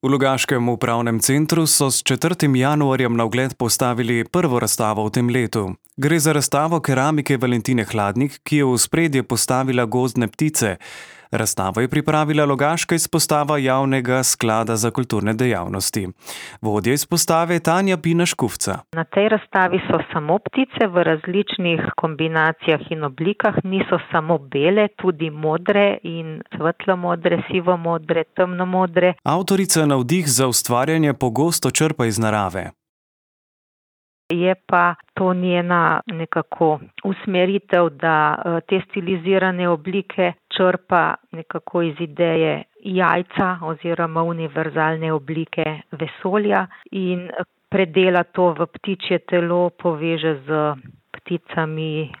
V Logaškem upravnem centru so s 4. januarjem na ogled postavili prvo razstavo v tem letu. Gre za razstavo keramike Valentine Hladnik, ki je v ospredje postavila gozdne ptice. Razstavo je pripravila logaška izpostava Javnega sklada za kulturne dejavnosti. Vodja izpostave Tanja Pina-Škufca. Na tej razstavi so samo ptice v različnih kombinacijah in oblikah, niso samo bele, tudi modre in svetlo-modre, sivo-modre, temno-modre. Avtorica navdih za ustvarjanje pogosto črpa iz narave. Je pa to njena nekako usmeritev, da te stilizirane oblike črpa nekako iz ideje jajca oziroma univerzalne oblike vesolja in predela to v ptičje telo, poveže z pticami,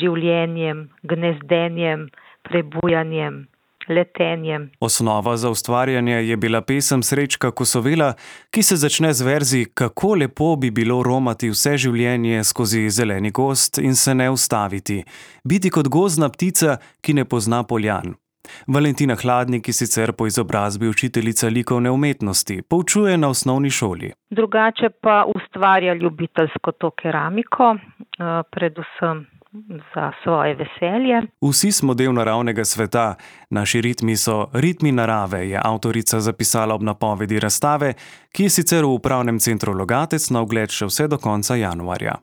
življenjem, gnezdenjem, prebujanjem, letenjem. Osnova za ustvarjanje je bila pesem Srečka Kosovela, ki se začne z verzi Kako lepo bi bilo romati vse življenje skozi zeleni gozd in se ne ustaviti. Biti kot gozdna ptica, ki ne pozna poljan. Valentina Hladnik je sicer po izobrazbi učiteljica likovne umetnosti, poučuje na osnovni šoli. Drugače pa ustvarja ljubiteljsko to keramiko, predvsem za svoje veselje. Vsi smo del naravnega sveta, naši ritmi so ritmi narave, je avtorica zapisala ob napovedi razstave, ki je sicer v upravnem centru Logatec na ogled še vse do konca januarja.